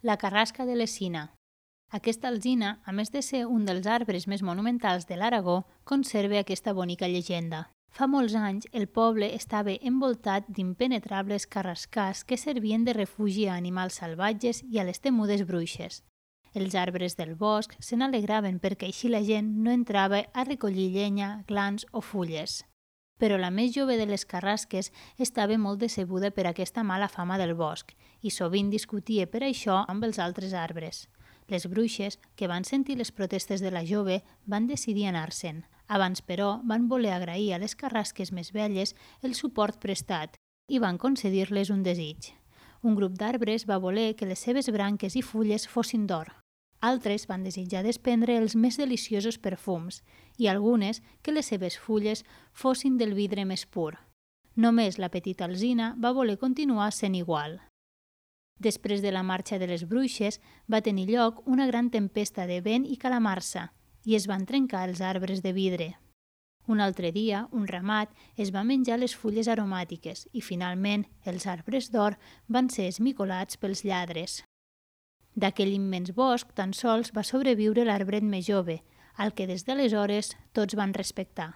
La carrasca de l'Escina. Aquesta alzina, a més de ser un dels arbres més monumentals de l'Aragó, conserva aquesta bonica llegenda. Fa molts anys, el poble estava envoltat d'impenetrables carrascars que servien de refugi a animals salvatges i a les temudes bruixes. Els arbres del bosc se n'alegraven perquè així la gent no entrava a recollir llenya, glans o fulles. Però la més jove de les carrasques estava molt decebuda per aquesta mala fama del bosc i sovint discutia per això amb els altres arbres. Les bruixes, que van sentir les protestes de la jove, van decidir anar-se'n. Abans, però, van voler agrair a les carrasques més velles el suport prestat i van concedir-les un desig. Un grup d'arbres va voler que les seves branques i fulles fossin d'or. Altres van desitjar desprendre els més deliciosos perfums i algunes que les seves fulles fossin del vidre més pur. Només la petita alzina va voler continuar sent igual. Després de la marxa de les bruixes va tenir lloc una gran tempesta de vent i calamarsa i es van trencar els arbres de vidre. Un altre dia, un ramat es va menjar les fulles aromàtiques i finalment els arbres d'or van ser esmicolats pels lladres. D'aquell immens bosc tan sols va sobreviure l'arbret més jove, al que des d'aleshores tots van respectar.